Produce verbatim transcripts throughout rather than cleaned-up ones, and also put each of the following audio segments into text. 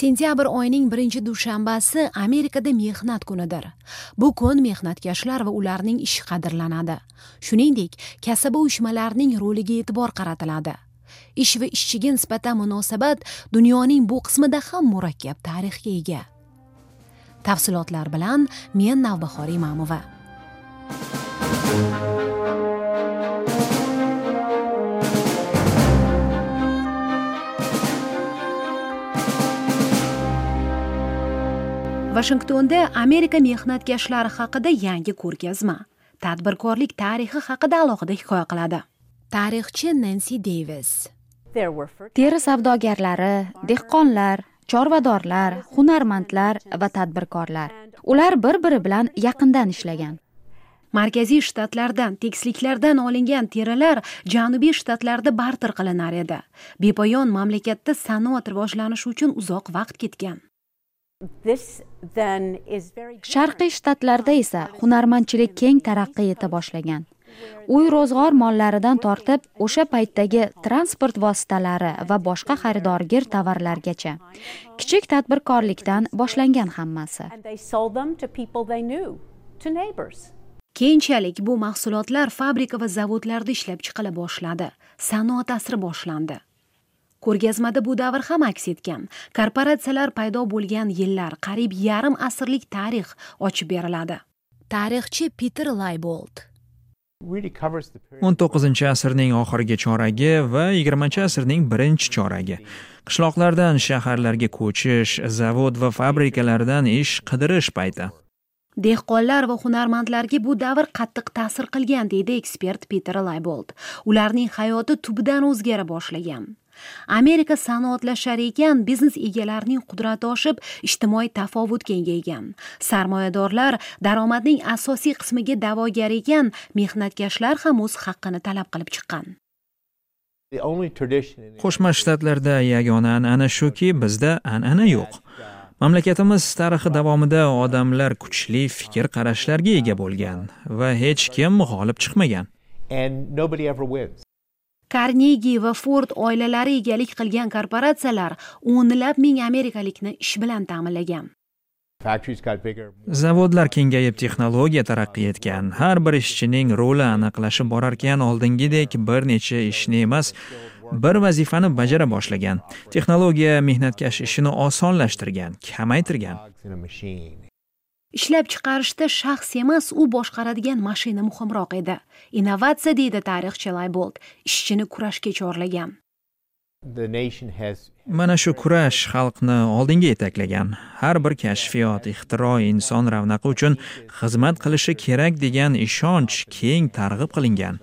Sentyabr oyining birinchi dushanbasi Amerikada mehnat kunidir. Bu kun mehnatkashlar va ularning ishi qadrlanadi. Shuningdek, kasaba uyushmalarining roliga e'tibor qaratiladi. Ish va ishchiga nisbatan munosabat dunyoning bu qismida ham murakkab tarixga ega. Tafsilotlar bilan men Navbahor Imamova. Vashingtonda Amerika mehnatkashlari haqida yangi ko'rgazma, tadbirkorlik tarixi haqida alohida hikoya qiladi. Tarixchi Nancy Davis. Teri savdogarlari, dehqonlar, chorvadorlar, hunarmandlar va tadbirkorlar. Ular bir-biri bilan yaqindan ishlagan. Markaziy shtatlardan, tekisliklardan olingan terilar janubiy shtatlarda barter qilinar edi. Bepoyon mamlakatda sanoat rivojlanishi uchun uzoq vaqt ketgan. Sharqiy shtatlarda esa hunarmandchilik keng taraqqiy eta boshlagan. Uy ro'zg'or mollaridan tortib, o'sha paytdagi transport vositalari va boshqa xaridorgir tovarlargacha. Kichik tadbirkorlikdan boshlangan hammasi. Keyinchalik bu mahsulotlar fabrika va zavodlarda ishlab chiqila boshladi. Sanoat asri boshlandi. Ko'rgazmada bu davr ham aks etgan. Korporatsiyalar paydo bo'lgan yillar, qariyb yarim asrlik tarix ochib beriladi. Tarixchi Peter Laybold. o'n to'qqizinchi asrning oxirgi choragi va yigirmanchi asrning birinchi choragi. Qishloqlardan shaharlarga ko'chish, zavod va fabrikalardan ish qidirish payti. Dehqonlar va hunarmandlarga bu davr qattiq ta'sir qilgan, deydi ekspert Peter Laybold. Ularning hayoti tubdan o'zgara boshlagan. Amerika sanoatlashar ekan, biznes egalarining qudrati oshib, ijtimoiy tafovut kengaygan. Sarmoyadorlar daromadning asosiy qismiga da'vogar ekan, mehnatkashlar ham o'z haqqini talab qilib chiqqan. Qo'shma Shtatlarda yagona an'ana shuki, bizda an'ana yo'q. Mamlakatimiz tarixi davomida odamlar kuchli fikr qarashlarga ega bo'lgan va hech kim g'olib chiqmagan. Karnegi va Ford oilalari egalik qilgan korporatsiyalar o'nlab ming amerikalikni ish bilan ta'minlagan. Zavodlar kengayib, texnologiya taraqqiy etgan. Har bir ishchining roli aniqlashib borarkan, oldingidek bir necha ishni emas, bir vazifani bajara boshlagan. Texnologiya mehnatkash ishini osonlashtirgan, kamaytirgan. Ishlab chiqarishda shaxs emas, u boshqaradigan mashina muhimroq edi. Innovatsiya, deydi tarixchi Laybold, ishchini kurashga chorlagan. Mana shu kurash xalqni oldinga yetaklagan. Har bir kashfiyot, ixtiro inson ravnaqi uchun xizmat qilishi kerak degan ishonch keng targ'ib qilingan.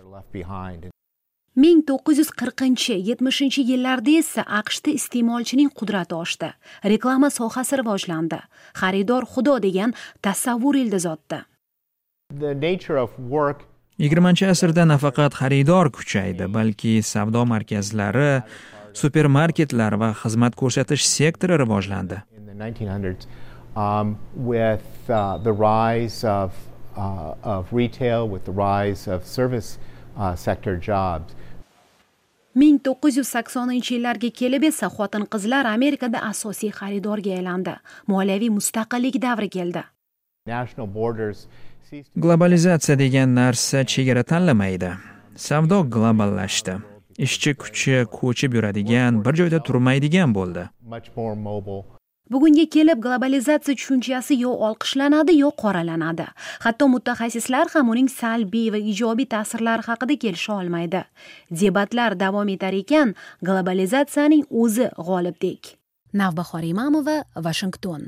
ming to'qqiz yuz qirqinchi, yetmishinchi yillarda esa A Q Shda iste'molchining qudrati oshdi. Reklama sohasi rivojlandi. Xaridor xudo degan tasavvur ildiz otdi. Yigirmanchi asrda nafaqat xaridor kuchaydi, balki savdo markazlari, supermarketlar va xizmat ko'rsatish sektori rivojlandi. ming to'qqiz yuz saksoninchi yillarga kelib esa xotin-qizlar Amerikada asosiy xaridorga aylandi. Moliyaviy mustaqillik davri keldi. Globalizatsiya degan narsa chegara tanlamaydi. Savdo globallashdi. Ishchi kuchi ko'chib yuradigan, bir joyda turmaydigan bo'ldi. Bugunga kelib globalizatsiya tushunchasi yo olqishlanadi, yo qoralanadi. Hatto mutaxassislar ham uning salbiy va ijobiy ta'sirlari haqida kelisha olmaydi. Debatlar davom etar ekan, globalizatsiyaning o'zi g'olibdek. Navbahor Imamova, Vashington.